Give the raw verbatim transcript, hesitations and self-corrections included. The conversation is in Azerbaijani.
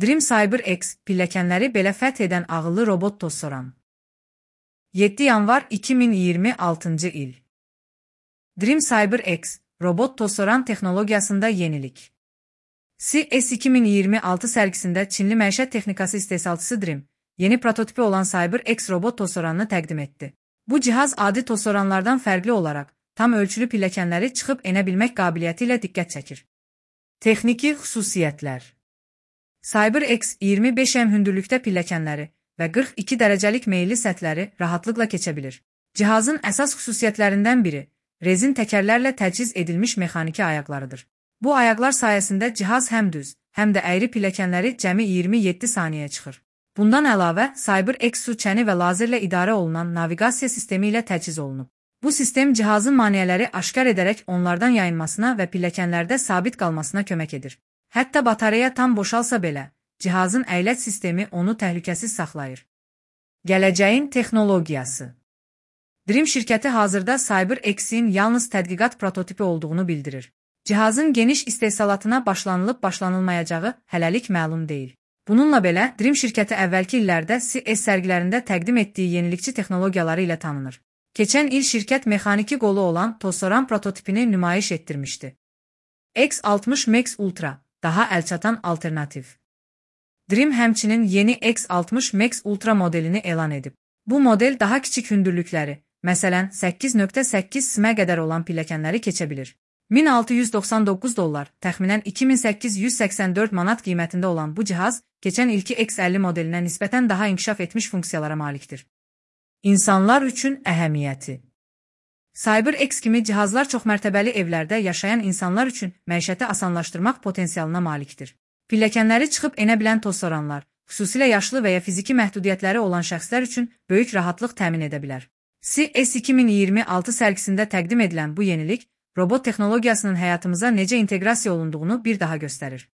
Dream CyberX pilləkənləri belə fəth edən ağıllı robot tozsoran. yeddi yanvar iki min iyirmi altıncı il. Dream CyberX robot tozsoran texnologiyasında yenilik. C E S iki min iyirmi altı sərgisində Çinli məişət texnikası istehsalçısı Dream, yeni prototipi olan CyberX robot tozsoranını təqdim etdi. Bu cihaz adi tozsoranlardan fərqli olaraq, tam ölçülü pilləkənləri çıxıb enə bilmək qabiliyyəti ilə diqqət çəkir. Texniki xüsusiyyətlər. CyberX iyirmi beş em hündürlükdə pilləkənləri və qırx iki dərəcəlik meyilli səthləri rahatlıqla keçə bilir. Cihazın əsas xüsusiyyətlərindən biri, rezin təkərlərlə təchiz edilmiş mexaniki ayaqlarıdır. Bu ayaqlar sayəsində cihaz həm düz, həm də əyri pilləkənləri cəmi iyirmi yeddi saniyəyə çıxır. Bundan əlavə, CyberX su çəni və lazerlə idarə olunan naviqasiya sistemi ilə təchiz olunub. Bu sistem cihazın maneələri aşkar edərək onlardan yayınmasına və pilləkənlərdə sabit qalmasına kömək edir. Hətta batareya tam boşalsa belə, cihazın əyləc sistemi onu təhlükəsiz saxlayır. Gələcəyin texnologiyası. Dream şirkəti hazırda CyberX-in yalnız tədqiqat prototipi olduğunu bildirir. Cihazın geniş istehsalatına başlanılıb başlanılmayacağı hələlik məlum deyil. Bununla belə, Dream şirkəti əvvəlki illərdə C E S sərgilərində təqdim etdiyi yenilikçi texnologiyaları ilə tanınır. Keçən il şirkət mexaniki qolu olan tozsoran prototipini nümayiş etdirmişdi. X altmış Max Ultra, daha əlçatan alternativ. Dream həmçinin yeni X altmış Max Ultra modelini elan edib. Bu model daha kiçik hündürlükləri, məsələn səkkiz nöqtə səkkiz simə qədər olan pilləkənləri keçə bilir. min altı yüz doxsan doqquz dollar, təxminən iki min səkkiz yüz səksən dörd manat qiymətində olan bu cihaz, keçən ilki X əlli modelinə nisbətən daha inkişaf etmiş funksiyalara malikdir. İnsanlar üçün əhəmiyyəti. CyberX kimi cihazlar çoxmərtəbəli evlərdə yaşayan insanlar üçün məişəti asanlaşdırmaq potensialına malikdir. Pilləkənləri çıxıb enə bilən tozsoranlar, xüsusilə yaşlı və ya fiziki məhdudiyyətləri olan şəxslər üçün böyük rahatlıq təmin edə bilər. C E S iki min iyirmi altı sərgisində təqdim edilən bu yenilik, robot texnologiyasının həyatımıza necə inteqrasiya olunduğunu bir daha göstərir.